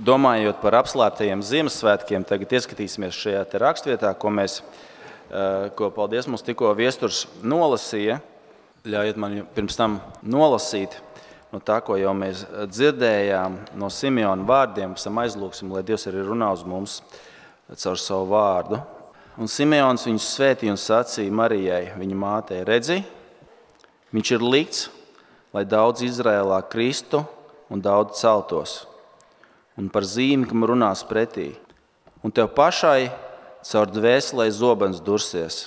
Domājot par apslēptajiem Ziemassvētkiem, tagad ieskatīsimies šajā te rakstvietā, ko paldies mums tikko viesturs nolasīja. Ļaujiet man pirms tam nolasīt no tā, ko jau mēs dzirdējām no Simeona vārdiem, pēc tam aizlūksim, lai Dievs arī runā uz mums caur savu vārdu. Un Simeons viņu svētīja un sacīja Marijai, viņa mātei, redzi, viņš ir likts, lai daudz Izrēlā kristu un daudz celtos. Un par zīmi, kam runās pretī. Un tev pašai caur dvēselē zobens dursies.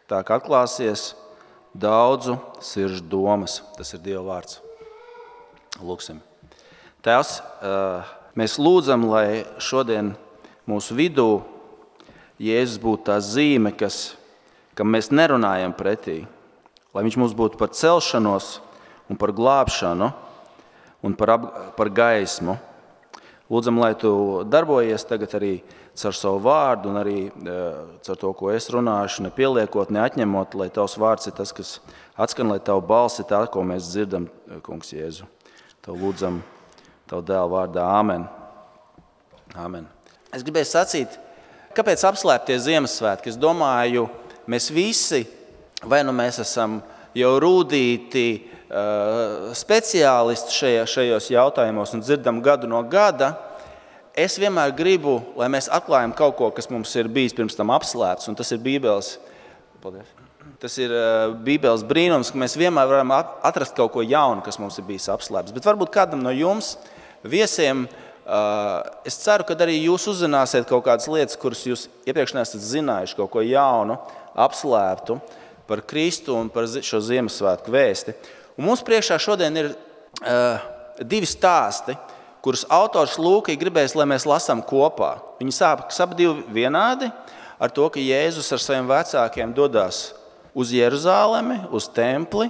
Tā kā atklāsies daudzu sirdžu domas. Tas ir Dieva vārds. Lūksim. Tēvs, mēs lūdzam, lai šodien mūsu vidū Jēzus būtu tā zīme, kam mēs nerunājam pretī. Lai viņš mums būtu par celšanos un par glābšanu un par gaismu. Lūdzam, lai tu darbojies tagad arī caur savu vārdu un arī caur to, ko es runāšu, nepieliekot, neatņemot, lai tavs vārds ir tas, kas atskan, lai tavu balsi tā, ko mēs dzirdam, kungs Jēzu. Tev lūdzam, tavu dēlu vārdā. Āmen. Āmen. Es gribēju sacīt, kāpēc apslēptie Ziemassvētki? Es domāju, mēs visi, vai nu mēs esam jau rūdīti speciālisti šajos jautājumos un dzirdam gadu no gada, es vienmēr gribu, lai mēs atklājam kaut ko, kas mums ir bijis pirms tam apslēpts, un tas ir Bībeles. Paldies. Tas ir Bībeles brīnums, ka mēs vienmēr varam atrast kaut ko jaunu, kas mums ir bijis apslēpts. Bet varbūt kādam no jums, viesiem, es ceru, ka arī jūs uzzināsiet kaut kādas lietas, kuras jūs iepriekš neesat zinājuši, kaut ko jaunu, apslēptu par Kristu un par šo Ziemassvētku vēsti. Un mums priekšā šodien ir divi stāsti, kurus autors Lūka gribēs, lai mēs lasām kopā. Viņi sākas ap divi vienādi ar to, ka Jēzus ar saviem vecākiem dodas uz Jeruzālemi, uz templi,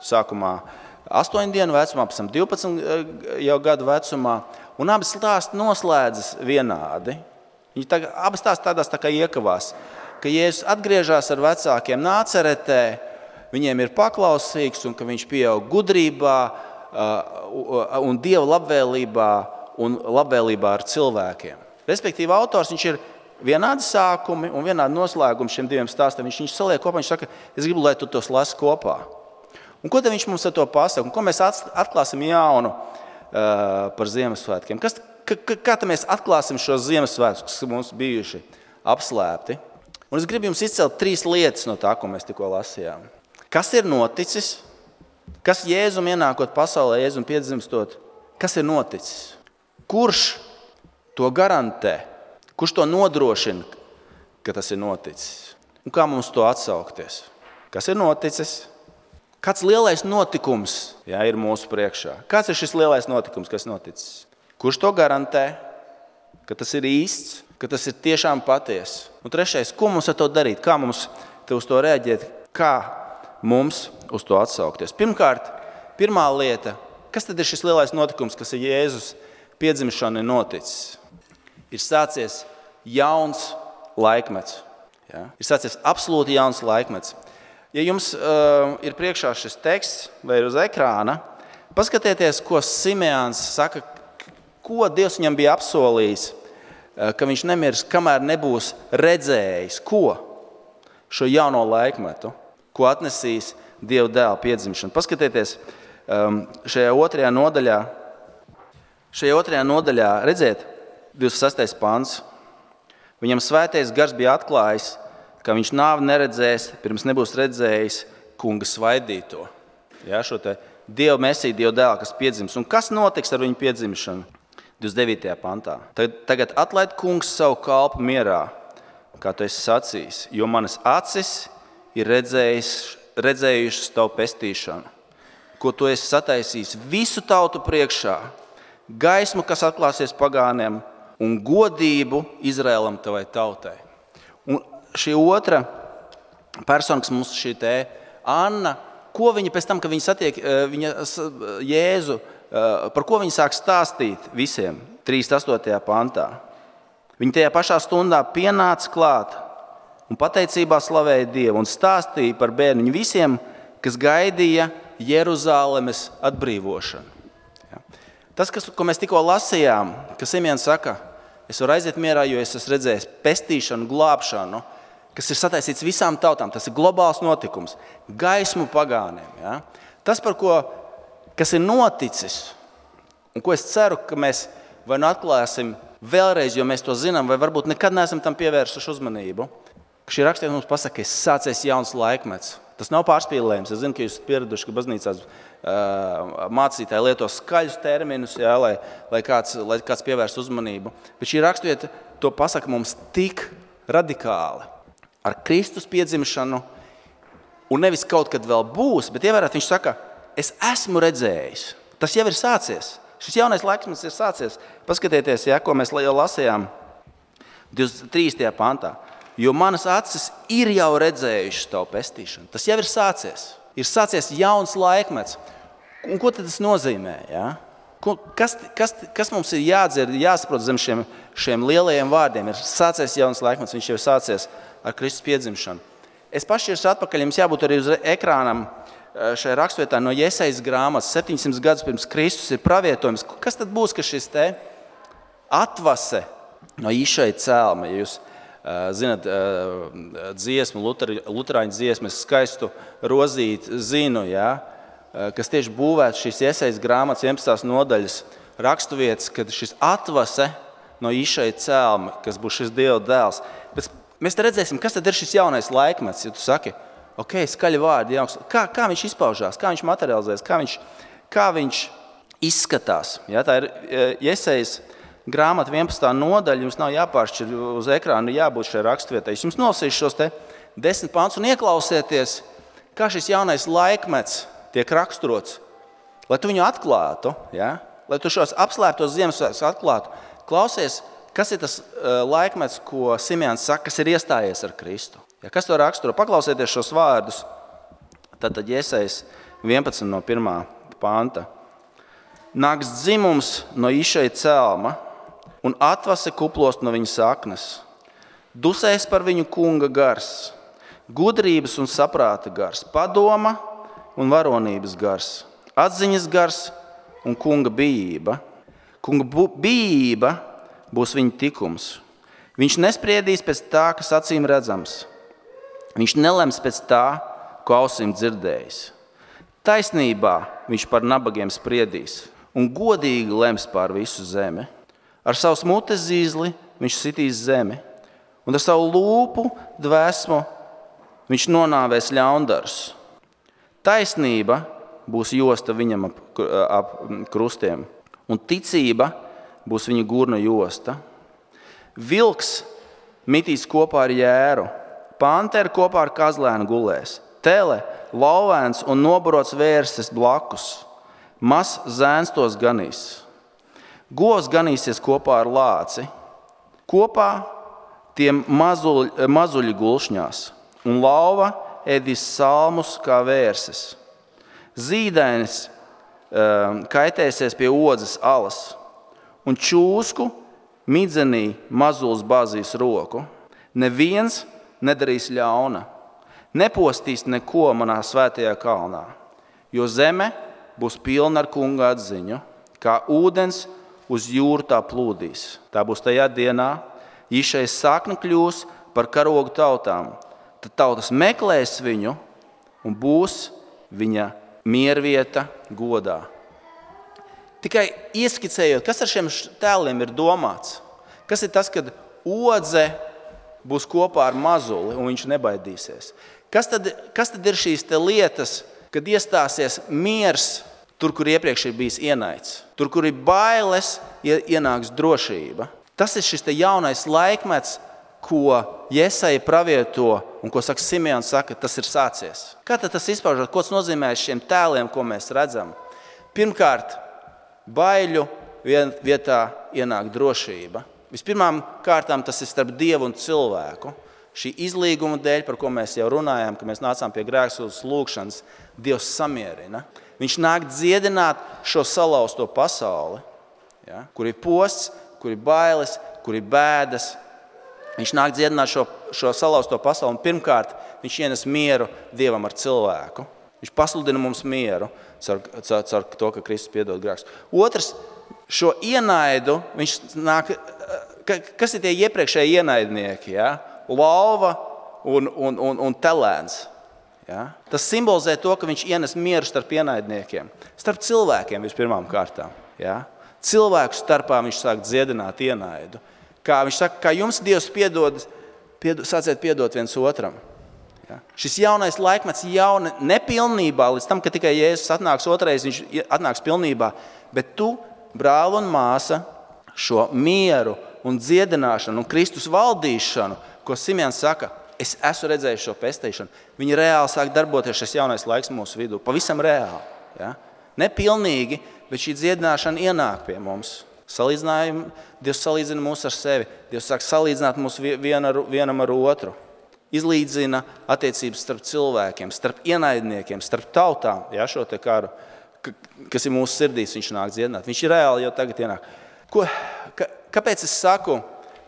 sākumā 8 dienu vecumā, pēc tam 12 jau gadu vecumā, un abi stāsti noslēdzas vienādi. Viņi abi stāsti tādās tā kā iekavās, ka Jēzus atgriežas ar vecākiem Nāceretē, viņiem ir paklausīgs un ka viņš pieaug gudrībā un Dieva labvēlībā un labvēlībā ar cilvēkiem. Respektīvi, autors viņš ir vienādi sākumi un vienādi noslēgumi šiem diviem stāstiem. Viņš saliek kopā, viņš saka, es gribu, lai tu tos lasi kopā. Un ko tad viņš mums ar to pasaka? Un ko mēs atklāsim jaunu par Ziemassvētkiem? Kā tad mēs atklāsim šos Ziemassvētkus, kas mums bijuši apslēpti? Un es gribu jums izcelt 3 lietas no tā, ko mēs tikko lasījām. Kas ir noticis? Kas Jēzum ienākot pasaulē, Jēzum piedzimstot? Kas ir noticis? Kurš to garantē? Kurš to nodrošina, ka tas ir noticis? Un kā mums to atsaukties? Kas ir noticis? Kāds lielais notikums ir mūsu priekšā? Kāds ir šis lielais notikums, kas noticis? Kurš to garantē, ka tas ir īsts, ka tas ir tiešām patiesi? Un trešais, ko mums ar to darīt? Kā mums uz to reaģēt? Kā mums uz to atsaukties? Pirmkārt, pirmā lieta, kas tad ir šis lielais notikums, kas ir Jēzus piedzimšana noticis? Ir sācies jauns laikmets. Ja? Ir sācies absolūti jauns laikmets. Ja jums ir priekšā šis teksts vai ir uz ekrāna, paskatieties, ko Simeons saka, ko Dievs viņam bija apsolījis, ka viņš nemirs, kamēr nebūs redzējis, šo jauno laikmetu, ko atnesīs Dieva dēla piedzimšana. Paskatieties šajā otrajā nodaļā, redziet, 26. pants. Viņam svētais gars bija atklājis, ka viņš nāvi neredzēs, pirms nebūs redzējis kunga svaidīto. Ja, šo te Dieva mesiju, Dieva dēlu, kas piedzims. Un kas notiks ar viņu piedzimšanu? 29. pantā. Tagad atlaid kungs savu kalpu mierā, kā tu esi sacījis, jo manas acis ir redzējušas tavu pestīšanu, ko tu esi sataisījis visu tautu priekšā, gaismu, kas atklāsies pagāniem, un godību Izraēlam tavai tautai. Un šī otra persona, kas mums šī te Anna, ko viņa pēc tam, kad viņa satiek Jēzu, par ko viņa sāk stāstīt visiem 38. pantā. Viņa tajā pašā stundā pienāca klāt un pateicībā slavēja Dievu un stāstīja par bērniņu visiem, kas gaidīja Jeruzālemes atbrīvošanu. Ja. Tas, ko mēs tikko lasījām, ka Simeons saka, es varu aiziet mierā, jo es esmu redzējis pestīšanu, glābšanu, kas ir sataisīts visām tautām. Tas ir globāls notikums, gaismu pagāniem. Ja? Tas, kas ir noticis, un ko es ceru, ka mēs vai nu atklāsim vēlreiz, jo mēs to zinām, vai varbūt nekad neesam tam pievērsuši uzmanību, ka šī rakstiet mums pasaka, ka sācies jauns laikmets. Tas nav pārspīlējums. Es zinu, ka jūs pieraduši, ka baznīcās mācītāji lieto skaļus terminus, jā, lai kāds pievērst uzmanību. Bet šī rakstiet to pasaka mums tik radikāli. Ar Kristus piedzimšanu, un nevis kaut kad vēl būs, bet ievērāt, viņš saka, es esmu redzējis. Tas jau ir sācies. Šis jaunais laikmets ir sācies. Paskatieties, ja, ko mēs jau lasījām 23. pantā. Jo manas acis ir jau redzējušas tavu pestīšanu. Tas jau ir sācies. Ir sācies jauns laikmets. Un ko tad tas nozīmē? Ja? Kas mums ir jādzird, jāsaprot zem šiem lielajiem vārdiem? Ir sācies jauns laikmets, viņš jau ir sācies ar Kristus piedzimšanu. Es pašķiršu atpakaļ, jums jābūt arī uz ekrānam šajā rakstvietā no Jesajas grāmatas. 700 gadus pirms Kristus ir pravietojums. Kas tad būs, ka šis te atvase no Išaja cēlma, ja jūs zināt, dziesmu, luterāņu dziesmu, es skaistu rozīt zinu, ja, kas tieši būvētu šīs Jesajas grāmatas 11. nodaļas raksturvietas, kad šis atvase no Išaja cēlma, kas būs šis Dieva dēls. Bet mēs te redzēsim, kas tad ir šis jaunais laikmets, ja tu saki, ok, skaļi vārdi, kā viņš izpaužās, kā viņš materializēs, kā viņš izskatās. Ja, tā ir Jesajas grāmata 11. nodaļa, jums nav jāpāršķir uz ekrānu, jābūt šai raksturvietai. Jums nolasīšu šos te 10 pantus un ieklausieties, kā šis jaunais laikmets tiek raksturots, lai tu viņu atklātu, ja? Lai tu šos apslēptos Ziemassvētkus atklātu. Klausies, kas ir tas laikmets, ko Simeons saka, kas ir iestājies ar Kristu. Ja? Kas to raksturo? Paklausieties šos vārdus. Tātad Jesajas 11 no 1. panta. Nāks dzimums no Išaja cēlma, un atvase kuplost no viņa saknes. Dusēs par viņu kunga gars, gudrības un saprāta gars, padoma un varonības gars, atziņas gars un kunga bijība. Kunga bijība būs viņa tikums. Viņš nespriedīs pēc tā, kas acīm redzams. Viņš nelems pēc tā, ko ausīm dzirdējis. Taisnībā viņš par nabagiem spriedīs un godīgi lems pār visu zemi. Ar savu mutes zīzli viņš sitīs zemi, un ar savu lūpu dvēsmu viņš nonāvēs ļaundarus. Taisnība būs josta viņam ap krustiem, un ticība būs viņa gurna josta. Vilks mitīs kopā ar jēru, pantera kopā ar kazlēnu gulēs, tele, lauvēns un nobarots vērses blakus, mazs zēns tos ganīs. Govs ganīsies kopā ar lāci, kopā tiem mazuļi gulšņās, un lauva ēdīs salmus kā vērses. Zīdainis kaitēsies pie odzes alas, un čūsku midzenī mazulis bāzīs roku. Neviens nedarīs ļauna, nepostīs neko manā svētajā kalnā, jo zeme būs pilna ar kunga atziņu, kā ūdens uz jūru tā plūdīs. Tā būs tajā dienā, Išajas sakne kļūs par karogu tautām. Tad tautas meklēs viņu un būs viņa miervieta godā. Tikai ieskicējot, kas ar šiem tēliem ir domāts? Kas ir tas, kad odze būs kopā ar mazuli un viņš nebaidīsies? Kas tad ir šīs te lietas, kad iestāsies miers tur, kur iepriekš ir bijis ienaids? Tur, kur ir bailes, ienāks drošība. Tas ir šis te jaunais laikmets, ko Jesaja pravieto un ko saka Simeons, saka, tas ir sācies. Kā tad tas izpaužot? Ko tas nozīmē šiem tēliem, ko mēs redzam? Pirmkārt, baiļu vietā ienāk drošība. Vispirmām kārtām tas ir starp Dievu un cilvēku. Šī izlīguma dēļ, par ko mēs jau runājām, ka mēs nācām pie grēksūdzes lūgšanas, Dievs samierina. Viņš nāk dziedināt šo salauzto pasauli, ja, kur ir posts, kur ir bailes, kur ir bēdas. Viņš nāk dziedināt šo salauzto pasauli, un pirmkārt viņš ienes mieru Dievam ar cilvēku. Viņš pasludina mums mieru caur to, ka Kristus piedod grēkus. Otrs, šo ienaidu, viņš nāk, kas ir tie iepriekšēji ienaidnieki? Ja? Lauva un telēns. Ja? Tas simbolizē to, ka viņš ienes mieru starp ienaidniekiem. Starp cilvēkiem vispirmām kārtām. Ja? Cilvēku starpā viņš sāk dziedināt ienaidu. Kā viņš saka, kā jums Dievs piedod, sāciet piedot viens otram. Ja? Šis jaunais laikmets nepilnībā, līdz tam, ka tikai Jēzus atnāks otrais, viņš atnāks pilnībā, bet tu, brāl un māsa, šo mieru un dziedināšanu un Kristus valdīšanu, ko Simeons saka, es esmu redzējis šo pestīšanu, viņi reāli sāk darboties šis jaunais laiks mūsu vidū, pavisam reāli. Ja? Nepilnīgi, bet šī dziedināšana ienāk pie mums. Dievs salīdzina mūs ar sevi. Dievs sāk salīdzināt mūs vienam ar otru. Izlīdzina attiecības starp cilvēkiem, starp ienaidniekiem, starp tautām. Ja, šo te karu, kas ir mūsu sirdīs, viņš nāk dziedināt. Viņš ir reāli jau tagad ienāk. Kāpēc es saku,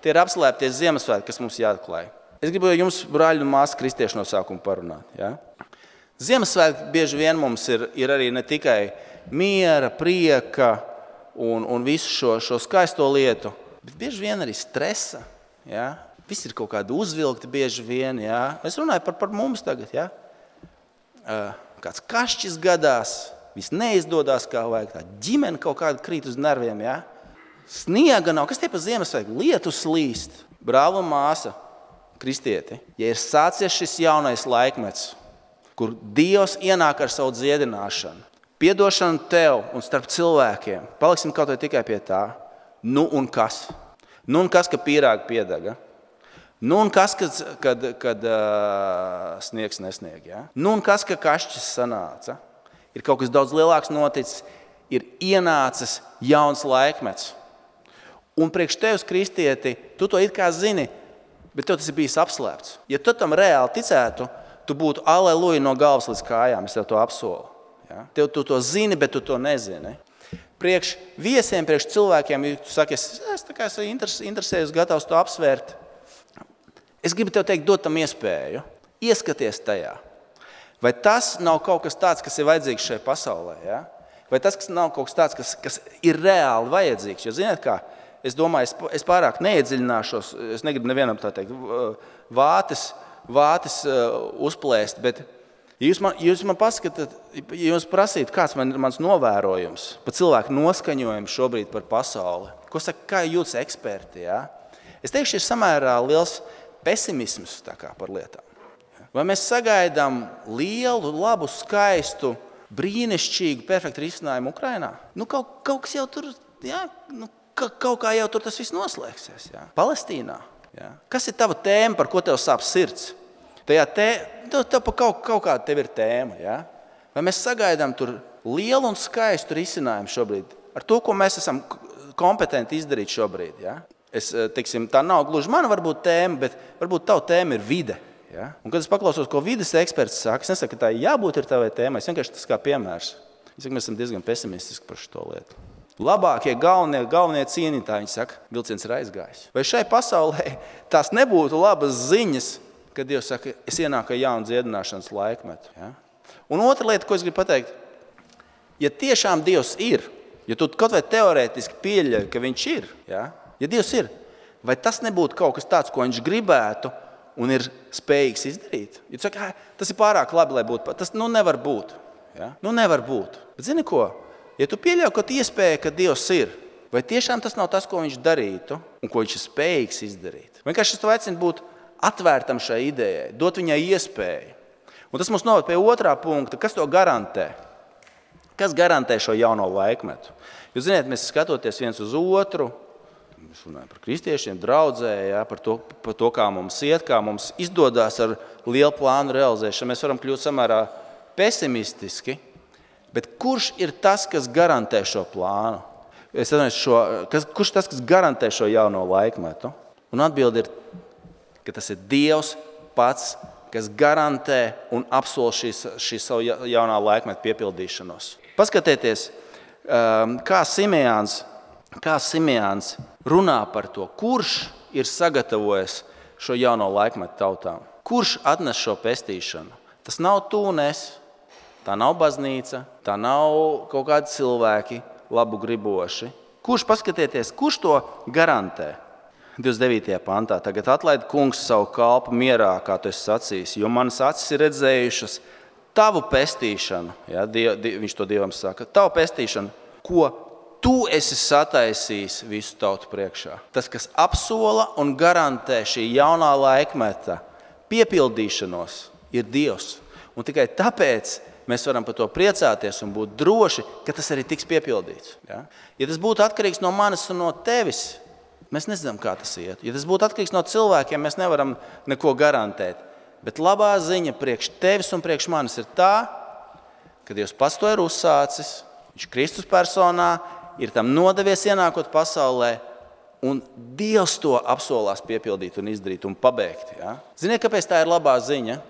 tie ir apslēptie Ziemassvētki, kas mums jāatklāj? Es gribu jums, brāļi un māsas, kristieši no sākuma parunāt. Ja? Ziemassvētki bieži vien mums ir arī ne tikai miera, prieka, un visu šo skaisto lietu, bet bieži vien arī stresa. Ja? Viss ir kaut kādi uzvilkti bieži vien. Ja? Es runāju par mums tagad. Ja? Kāds kašķis gadās, viss neizdodas kā vajag, tā ģimene kaut kāda krīt uz nerviem. Ja? Sniega nav, kas tie pa Ziemassvētku? Lietus slīst. Brāl un māsa, kristieti, ja ir sācies šis jaunais laikmets, kur Dievs ienāk ar savu dziedināšanu, piedošanu tev un starp cilvēkiem. Paliksim kaut vai tikai pie tā. Nu un kas? Nu un kas, ka pīrāgi piedaga? Nu un kas, kad sniegs nesnieg? Ja? Nu un kas, ka kašķis sanāca? Ir kaut kas daudz lielāks noticis. Ir ienācis jauns laikmets. Un priekš tevis, kristieti, tu to it kā zini, bet tev tas ir bijis apslēpts. Ja tu tam reāli ticētu, tu būtu aleluja no galvas līdz kājām. Es tev to apsolu. Ja? Tu to zini, bet tu to nezini. Priekš viesiem, priekš cilvēkiem, ja tu saki, es esmu interesējis, gatavs to apsvērt. Es gribu tev teikt, dot tam iespēju. Ieskaties tajā. Vai tas nav kaut kas tāds, kas ir vajadzīgs šajā pasaulē? Ja? Vai tas nav kaut kas tāds, kas ir reāli vajadzīgs? Jo, ziniet kā, es domāju, es pārāk neiedziļināšos, es negribu nevienam tā teikt, vātis uzplēst, bet ja jūs man paskatāt, ja jūs prasītu, kāds mans novērojums par cilvēku noskaņojumu šobrīd par pasauli, ko saka, kā jūtas eksperti, ja? Es teikšu, ir samērā liels pesimisms tā kā par lietām. Vai mēs sagaidām lielu, labu, skaistu, brīnišķīgu, perfektu risinājumu Ukrainā? Nu, kaut kas jau tur, ja? Kaut kā jau tur tas viss noslēgsies. Ja? Palestīnā. Ja? Kas ir tava tēma, par ko tev sāp sirds? Tev pa kaut kāda tev ir tēma. Ja? Vai mēs sagaidām tur lielu un skaistu risinājumu šobrīd? Ar to, ko mēs esam kompetenti izdarīt šobrīd. Ja? Teiksim, tā nav gluži mana varbūt tēma, bet varbūt tava tēma ir vide. Ja? Un kad es paklausos, ko vides eksperts saka, es nesaku, ka tā jābūt ir tavai tēmai. Es vienkārši tas kā piemērs. Es saku, mēs esam diezgan pesimistiski par šo lietu. Labākie galvenie cīnītāji, viņi saka, vilciens ir aizgājis. Vai šai pasaulē tās nebūtu labas ziņas, kad Dievs saka, es ienāku jaunu dziedināšanas laikmetu? Ja? Un otra lieta, ko es gribu pateikt, ja tiešām Dievs ir, ja tu kaut vai teorētiski pieļauj, ka viņš ir, ja Dievs ir, vai tas nebūtu kaut kas tāds, ko viņš gribētu un ir spējīgs izdarīt? Ja tu saki, tas ir pārāk labi, lai būtu, tas nevar būt. Ja? Nevar būt. Bet zini ko? Ja tu pieļauj, ka iespēja, ka Dievs ir, vai tiešām tas nav tas, ko viņš darītu un ko viņš ir spējīgs izdarīt? Vienkārši es tev aicinu būt atvērtam šai idejai, dot viņai iespēju. Un tas mums noved pie otrā punkta. Kas to garantē? Kas garantē šo jauno laikmetu? Jūs ziniet, mēs skatoties viens uz otru, mēs runājam par kristiešiem, draudzē, ja, par to, kā mums iet, kā mums izdodas ar lielu plānu realizēšanu. Mēs varam kļūt samērā pesimistiski. Bet kurš ir tas, kas garantē šo plānu? Kurš tas, kas garantē šo jauno laikmetu? Un atbilde ir, ka tas ir Dievs pats, kas garantē un apsol šī savu jaunā laikmeta piepildīšanos. Paskatieties, kā Simeons runā par to, kurš ir sagatavojis šo jauno laikmetu tautām. Kurš atnes šo pestīšanu? Tas nav tu un es. Tā nav baznīca, tā nav kaut kādi cilvēki labu griboši. Kurš to garantē? 29. pantā. Tagad atlaid kungs savu kalpu mierā, kā tu esi sacījis, jo manas acis ir redzējušas tavu pestīšanu. Ja, viņš to Dievam saka. Tavu pestīšanu, ko tu esi sataisījis visu tautu priekšā. Tas, kas apsola un garantē šī jaunā laikmeta piepildīšanos, ir Dievs. Un tikai tāpēc mēs varam par to priecāties un būt droši, ka tas arī tiks piepildīts. Ja, tas būtu atkarīgs no manis un no tevis, mēs nezinām, kā tas iet. Ja tas būtu atkarīgs no cilvēkiem, mēs nevaram neko garantēt. Bet labā ziņa priekš tevis un priekš manis ir tā, ka Dievs pats to ir uzsācis, viņš Kristus personā ir tam nodevies ienākot pasaulē, un Dievs to apsolās piepildīt un izdarīt un pabeigt. Ja? Ziniet, kāpēc tā ir labā ziņa?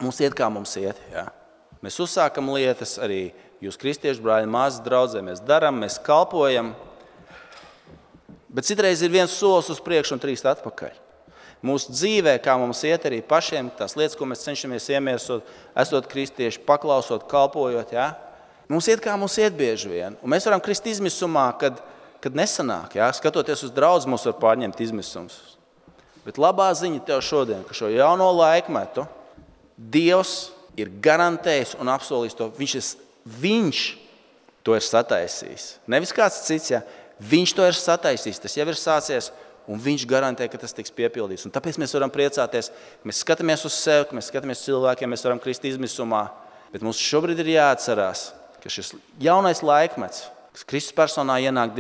Mums iet, kā mums iet. Ja? Mēs uzsākam lietas, arī jūs kristiešu brāļi, māsas draudzē, mēs darām, mēs kalpojam. Bet citreiz ir viens solis uz priekšu un 3 atpakaļ. Mūsu dzīvē, kā mums iet arī pašiem, tās lietas, ko mēs cenšamies iemiesot, esot kristieši, paklausot, kalpojot, ja? Mums iet, kā mums iet bieži vien. Un mēs varam krist izmisumā, kad nesanāk. Ja? Skatoties uz draudzi, mums var pārņemt izmisums. Bet labā ziņa tev šodien, ka šo jauno laikmetu Dievs ir garantējis un apsolījis to. Viņš to ir sataisījis. Nevis kāds cits, ja? Viņš to ir sataisījis, tas jau ir sācies, un viņš garantē, ka tas tiks piepildīts. Un tāpēc mēs varam priecāties, ka mēs skatāmies uz sevi, ka mēs skatāmies uz cilvēkiem, mēs varam krist izmisumā. Bet mums šobrīd ir jāatcerās, ka šis jaunais laikmets, kas Kristus personā ienāk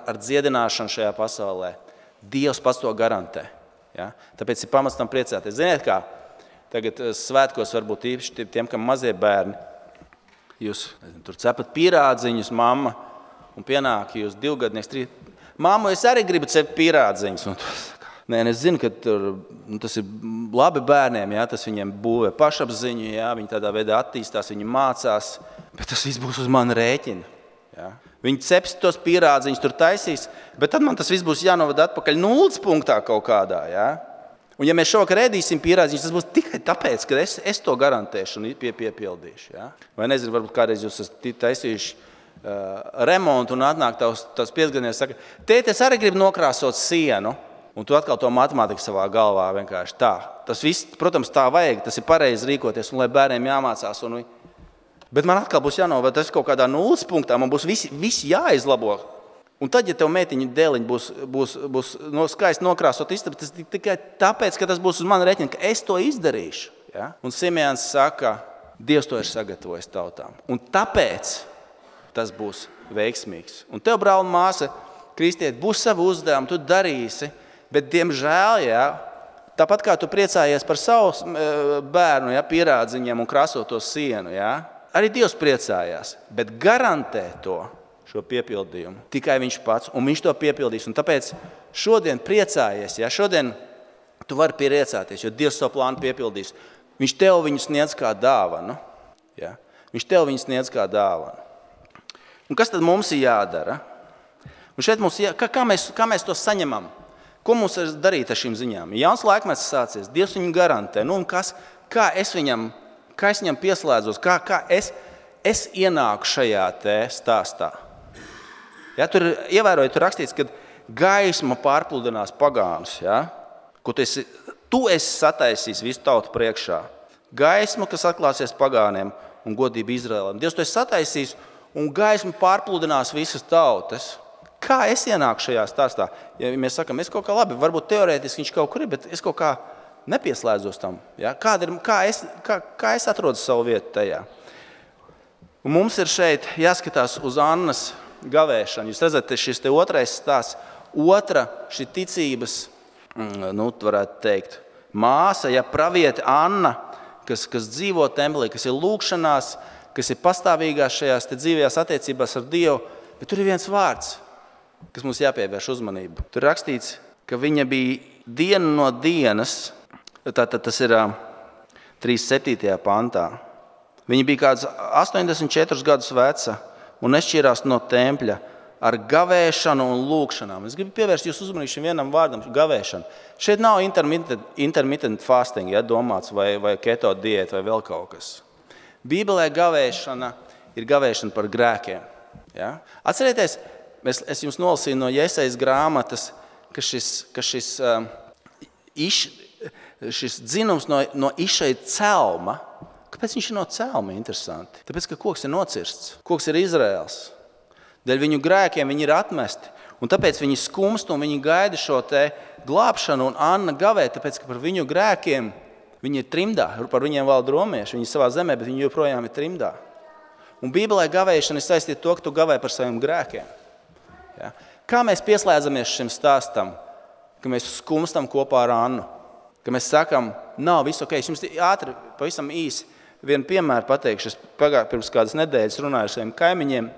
ar dziedināšanu šajā pasaulē, Dievs pats to garantē. Ja? Tāpēc ir pamats tam priecāties. Ziniet kā, tagad svētkos varbūt īpaši tiem, kam mazie bērni, jūs tur cepat pīrādziņus, mamma, un pienāk jūs 2 gadnieks, 3. Māmu, es arī gribu cept pīrādziņus. Nē, es zinu, ka tas ir labi bērniem, ja? Tas viņiem būvē pašapziņu, ja? Viņi tādā veidā attīstās, viņi mācās, bet tas viss būs uz mani rēķina. Ja? Viņi ceps tos pīrādziņus tur taisīs, bet tad man tas viss būs jānovada atpakaļ 0 punktā kaut kādā. Ja? Un ja mēs šovakar ēdīsim pīrādziņus, tas būs tikai tāpēc, ka es to garantēšu un piepildīšu. Ja? Vai nezinu, varbūt kādreiz jūs esat taisījuši remontu un atnāk tavs piecgadnieks saka, tēti, es arī gribu nokrāsot sienu, un tu atkal to matemātiku savā galvā vienkārši tā. Tas viss, protams, tā vajag, tas ir pareizi rīkoties, un lai bērniem jāmācās. Bet man atkal būs jānovērt, tas kaut kādā 0 punktā, man būs visi jāizlabo. Un tad, ja tev meitiņu dēliņi būs skaisti nokrāsot istabu, tas tikai tāpēc, ka tas būs uz mani rēķina, ka es to izdarīšu. Ja? Un Simeons saka, Dievs to ir sagatavojis tautām. Un tāpēc tas būs veiksmīgs. Un tev, brāl un māsa, kristieti, būs savu uzdevumu, tu darīsi, bet, diemžēl, ja, tāpat kā tu priecājies par savu bērnu, ja, pierādziņiem un krāsot to sienu, ja, arī Dievs priecājās, bet garantē šo piepildījumu tikai viņš pats, un viņš to piepildīs. Un tāpēc šodien priecājies, ja, šodien tu vari priecāties, jo Dievs savu plānu piepildīs. Viņš tev viņu sniedz kā dāvanu. Ja. Viņš tev viņu sniedz kā dāvanu. Un kas tad mums ir jādara? Un šeit kā mēs to saņemam? Ko mums ir darīt ar šīm ziņām? Jauns laikmets sācies, Dievs viņu garantē. Nu, kā es viņam pieslēdzos, kā es ienāku šajā te stāstā? Ja, tur ievērojot, tur rakstīts, ka gaisma pārpludinās pagānus, ja? Ko tu esi sataisījis visu tautu priekšā. Gaisma, kas atklāsies pagāniem un godība Izraēlam. Dievs to esi sataisījis, un gaisma pārpludinās visas tautas. Kā es ienāku šajā stāstā? Ja mēs sakam, es kaut kā labi, varbūt teorētiski viņš kaut kur ir, bet es kaut kā nepieslēdzos tam. Ja? Kā es atrodu savu vietu tajā? Un mums ir šeit jāskatās uz Annas gavēšanu. Jūs redzat, šis te otrais stāsts, šī ticības, varētu teikt, māsa, ja praviete Anna, kas dzīvo templī, kas ir lūgšanās, kas ir pastāvīgās šajās dzīvajās attiecībās ar Dievu, bet tur ir viens vārds, kas mums jāpievērš uzmanību. Tur rakstīts, ka viņa bija dienu no dienas, tātad tas ir 37. pantā. Viņa bija kāds 84 gadus veca un nešķīrās no tempļa ar gavēšanu un lūgšanām. Es gribu pievērst jūs uzmanību šim vienam vārdam, gavēšanu. Šeit nav intermittent fasting, ja, domāts, vai keto diēta vai vēl kaut kas. Bībelē gavēšana ir gavēšana par grēkiem. Ja? Atcerieties, Es jums nolasīju no Jesajas grāmatas, ka šis dzinums no Išai celma, kāpēc viņš ir no celma interesanti? Tāpēc, ka koks ir nocirsts, koks ir Izraels. Dēļ viņu grēkiem viņi ir atmesti, un tāpēc viņi skumst un viņi gaida šo te glābšanu, un Anna gavē, tāpēc, ka par viņu grēkiem viņi ir trimdā, par viņiem valda romieši, viņi ir savā zemē, bet viņi joprojām ir trimdā. Un Bībelē gavēšana ir saistīta to, ka tu gavē par saviem grēkiem. Ja? Kā mēs pieslēdzamies šim stāstam, ka mēs skumstam kopā ar Annu, ka mēs sakam, nav viss ok. Es jums ātri, pavisam īsi vienu piemēru pateikšu. Es pirms kādas nedēļas runāju ar saviem kaimiņiem,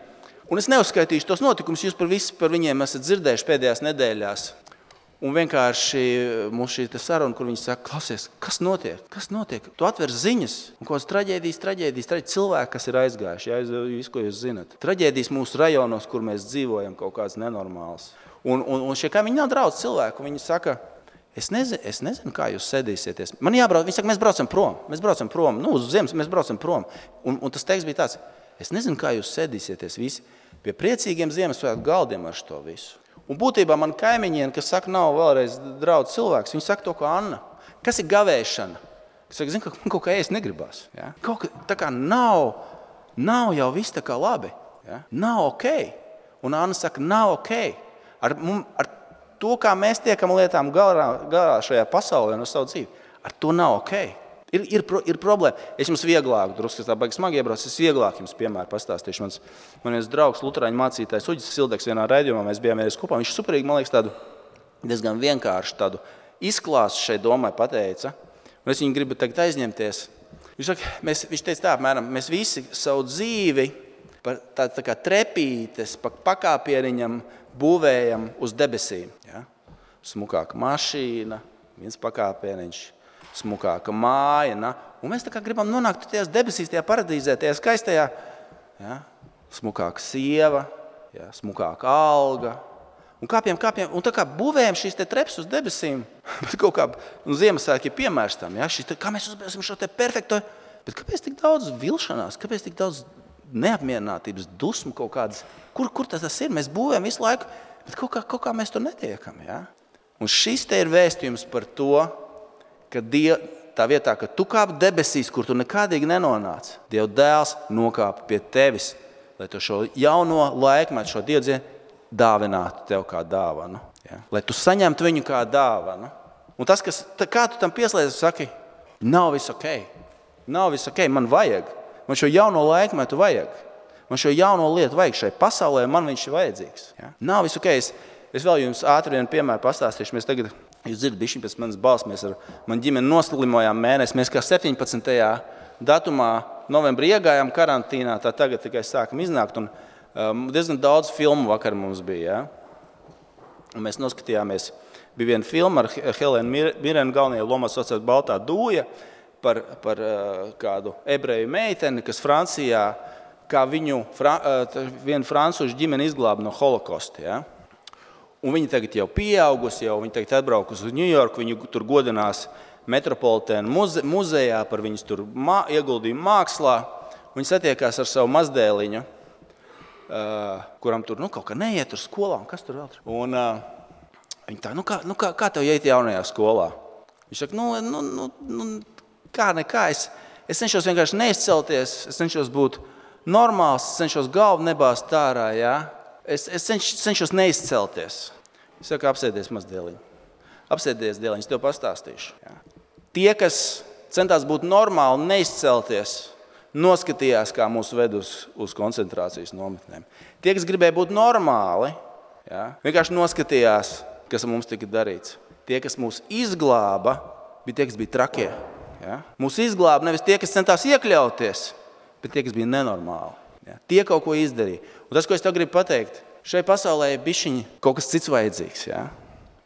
un es neuzskaitīšu tos notikumus, jūs par viņiem esat dzirdējuši pēdējās nedēļās. Un vienkārši mums šī saruna, kur viņi saka, klausies, kas notiek? Kas notiek? Tu atver ziņas, un kādas traģēdijas, cilvēki, kas ir aizgājuši, visu, ko jūs zinat. Traģēdijas mūsu rajonos, kur mēs dzīvojam, kaut kāds nenormāls. Un šie kaimiņi nav draudz cilvēku, viņi saka, es nezinu, kā jūs sēdīsieties. Man jābrauc, viņi saka, mēs braucam prom, uz ziemas mēs braucam prom. Un tas teksts bija tāds, es nezinu, kā jūs sēdīsieties visi pie priecīgiem Ziemassvētku galdiem ar šo visu. Un būtībā man kaimiņiem, kas saka, nav vēlreiz draudz cilvēks, viņi saka to, ko Anna. Kas ir gavēšana? Kas saka, zinu, ka man kaut kā ēst negribās. Ja? Kaut kā tā kā nav jau viss tā kā labi. Ja? Nav ok. Un Anna saka, nav ok. Ar to, kā mēs tiekam lietām galā šajā pasaulē no savu dzīvi, ar to nav ok. Ir problēma. Es jums vieglāk, drusku tā baigi smagi iebrauc, es vieglāk jums piemēru pastāstīšu. Man viens draugs, luterāņu mācītājs Uģis Sildeks vienā raidījumā, mēs bijām vienreiz kopā. Viņš superīgi, man liekas, tādu diezgan vienkārši tādu izklāstu šai domai pateica. Un es viņu gribu tagad aizņemties. Viņš teica tā, apmēram, mēs visi savu dzīvi tā kā trepītes, pakāpieniņam būvējam uz debesīm. Ja? Smukāka mašīna, viens pakāpieniņš. Smukāka māja, un mēs tā kā gribam nonākt tajās debesīs, tajā paradīzē, tajā skaistajā, ja? Smukāka sieva, ja? Smukāka alga, un kāpjam, un tā kā būvējam šīs te treps uz debesīm, bet kaut kā, Ziemassvētki ir piemērs tam, ja? Kā mēs uzbēsim šo te perfekto, bet kāpēc tik daudz vilšanās, kāpēc tik daudz neapmierinātības, dusmu kaut kādas, kur tas ir, mēs būvējam visu laiku, bet kaut kā mēs to netiekam, ja? Un šis te ir vēstījums par to, ka tā vietā, ka tu kāp debesīs, kur tu nekādīgi nenonāc, Dieva dēls nokāpa pie tevis, lai tu šo jauno laikmetu, šo Dievdzienu dāvinātu tev kā dāvanu. Ja? Lai tu saņemtu viņu kā dāvanu. Un tas, kā tu tam pieslēdzi, saki, nav viss ok, man vajag. Man šo jauno laikmetu vajag. Man šo jauno lietu vajag šai pasaulē, man viņš ir vajadzīgs. Ja? Nav viss ok. Es vēl jums ātri vienu piemēru pastāstīšu. Mēs tagad, jūs dzirdat, bišķiņ pēc manas balss, mēs ar mani ģimeni noslimojām mēnesi. Mēs kā 17. datumā novembrī iegājām karantīnā, tā tagad tikai sākam iznākt. Un diezgan daudz filmu vakar mums bija. Ja? Un mēs noskatījāmies, bija viena filma ar Helēnu Mirenu galvenajā lomā saucās Baltā dūja par kādu ebreju meiteni, kas Francijā, kā viņu vienu francūžu ģimeni izglāba no holokosta. Ja? Un viņi tagad jau pieaugusi, viņi tagad atbraukusi uz Ņujorku, viņi tur godinās Metropolitēna muzejā par viņas tur ieguldījumu mākslā. Viņi satiekās ar savu mazdēliņu, kuram tur kaut kā neiet uz skolā, un kas tur vēl tur. Un viņi tā, kā tev iet jaunajā skolā? Viņš saka, kā nekā, es cenšos vienkārši neizcelties, es cenšos būt normāls, es cenšos galvu nebāzt ārā, jā. Es cenšos neizcelties. Es saku, apsēdies mazdēliņu. Apsēdies, dēliņ, es tev pastāstīšu. Jā. Tie, kas centās būt normāli, neizcelties, noskatījās, kā mūs ved uz koncentrācijas nometnēm. Tie, kas gribēja būt normāli, jā, vienkārši noskatījās, kas mums tika darīts. Tie, kas mūs izglāba, bija tie, kas bija trakie. Jā. Mūs izglāba nevis tie, kas centās iekļauties, bet tie, kas bija nenormāli. Ja, tie kaut ko izdarīja. Un tas, ko es tev gribu pateikt, šai pasaulē ir bišķiņi kaut kas cits vajadzīgs. Ja?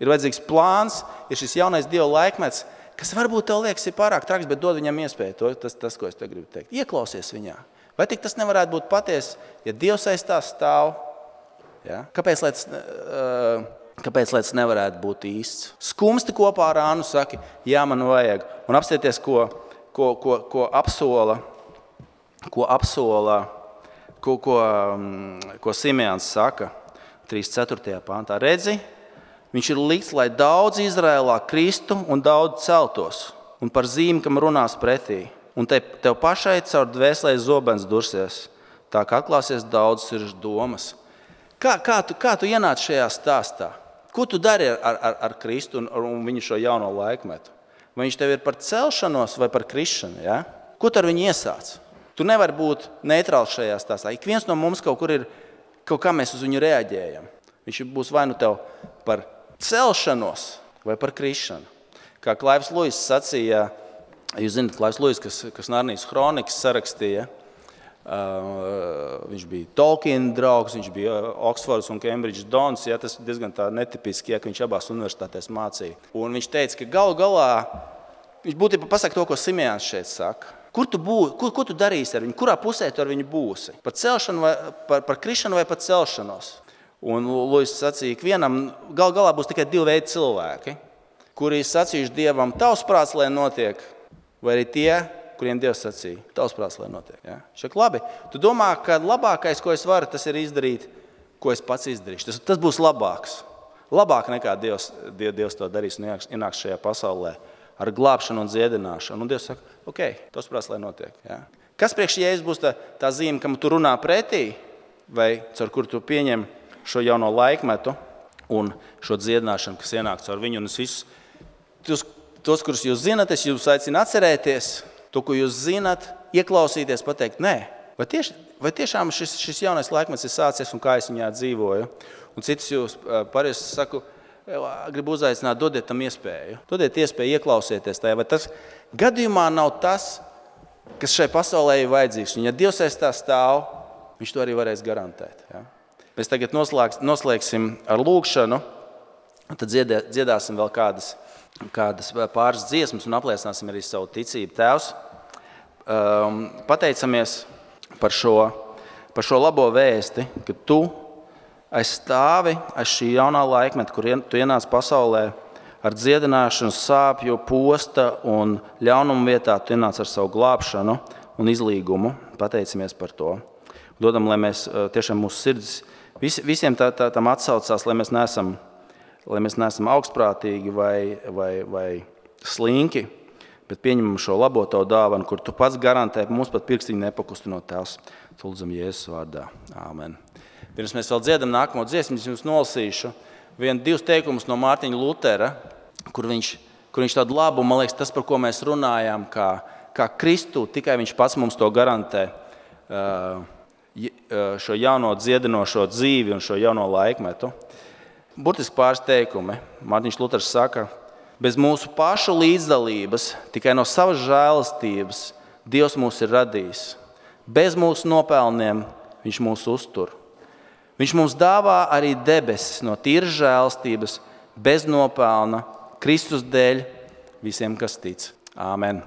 Ir vajadzīgs plāns, ir šis jaunais Dieva laikmets, kas varbūt tev liekas ir pārāk traks, bet dod viņam iespēju. Tas, ko es tev gribu teikt. Ieklausies viņā. Vai tik tas nevarētu būt patiesi, ja Dievs aiz tā stāv? Ja? Kāpēc tas nevarētu būt īsts? Skumsti kopā ar Ānu saki, jā, man vajag. Un apstieties, ko apsola, ko Simeons saka. 3.4. pantā. Redzi, viņš ir likts, lai daudz Izrēlā kristu un daudz celtos, un par zīmi, kam runās pretī. Un tev pašai caur dvēselē zobens dursies, tā kā atklāsies daudz sirds domas. Kā tu ienāc šajā stāstā? Ko tu dari ar Kristu un viņu šo jauno laikmetu? Vai viņš tev ir par celšanos vai par krišanu? Ja? Ko tu ar viņu iesāc? Tu nevari būt neitrāls šajā stāstā. Ik viens no mums kaut kur ir, kaut kā mēs uz viņu reaģējam. Viņš būs vai nu tev par celšanos vai par krišanu. Kā Klaivs Luis sacīja, jūs zināt, Klaivs Luis, kas Narnijas kronikas sarakstīja, viņš bija Tolkien draugs, viņš bija Oksfords un Cambridge dons, ja, tas diezgan tā netipiski, ja, ka viņš abās universitātēs mācīja. Un viņš teica, ka galu galā, viņš būtībā pasaka to, ko Simejāns šeit saka. Ko tu darīsi ar viņu? Kurā pusē tu ar viņu būsi? Par celšanu vai par krišanu vai par celšanos? Un Luis sacīja, ka vienam galu galā būs tikai divi veidi cilvēki, kuri sacījuši Dievam, tavs prāts, lai notiek, vai arī tie, kuriem Dievs sacīja, tavs prāts, lai notiek. Ja? Šeit labi. Tu domā, ka labākais, ko es varu, tas ir izdarīt, ko es pats izdarīšu. Tas būs labāks. Labāk nekā Dievs to darīs un ienāks šajā pasaulē ar glābšanu un dziedināšanu. Un Dievs saka, ok, tavs prāts, lai notiek. Ja? Kas priekš Jēzus būs tā zīme, kam tu runā pretī, vai caur kur tu pieņem šo jauno laikmetu un šo dziedināšanu, kas ienāk caur viņu. Un es visus, tos, kurus jūs zinat, es jūs aicinu atcerēties, to, ko jūs zinat, ieklausīties, pateikt, nē, vai tiešām šis jaunais laikmets ir sācies un kā es viņā dzīvoju. Un citus jūs parasti saku, gribu uzaicināt, dodiet tam iespēju. Dodiet iespēju ieklausieties tajā, vai tas gadījumā nav tas, kas šai pasaulē ir vajadzīgs. Un ja Dievs aiz tā stāv, viņš to arī varēs garantēt. Ja? Mēs tagad noslēgsim ar lūgšanu, tad dziedāsim vēl kādas pāris dziesmas un apliecināsim arī savu ticību. Tēvs, pateicamies par šo labo vēsti, ka tu aizstāvi aiz šī jaunā laikmeta, kur tu ienāc pasaulē ar dziedināšanu, sāpju, posta un ļaunumu vietā, tu ienāc ar savu glābšanu un izlīgumu. Pateicamies par to. Dodam, lai mēs tiešām mūsu sirds visiem tam atsaucās, lai mēs neesam augstprātīgi vai slinki, bet pieņemam šo labo tavu dāvanu, kur tu pats garantē, mums pat pirkstiņu nepakustinot Tēvs. Lūdzam Jēzus vārdā. Āmen. Pirms mēs vēl dziedam nākamo dziesmu, es jums nolasīšu divus teikumus no Mārtiņa Lutera, kur viņš tādu labu, man liekas, tas, par ko mēs runājām, kā Kristu, tikai viņš pats mums to garantē, šo jauno dziedinošo dzīvi un šo jauno laikmetu. Burtiski pāris teikumi. Mārtiņš Luters saka, bez mūsu pašu līdzdalības, tikai no savas žēlastības Dievs mūs ir radījis. Bez mūsu nopelniem viņš mūs uztur. Viņš mums dāvā arī debesis no tīras žēlastības, bez nopelna, Kristus dēļ visiem, kas tic. Āmen.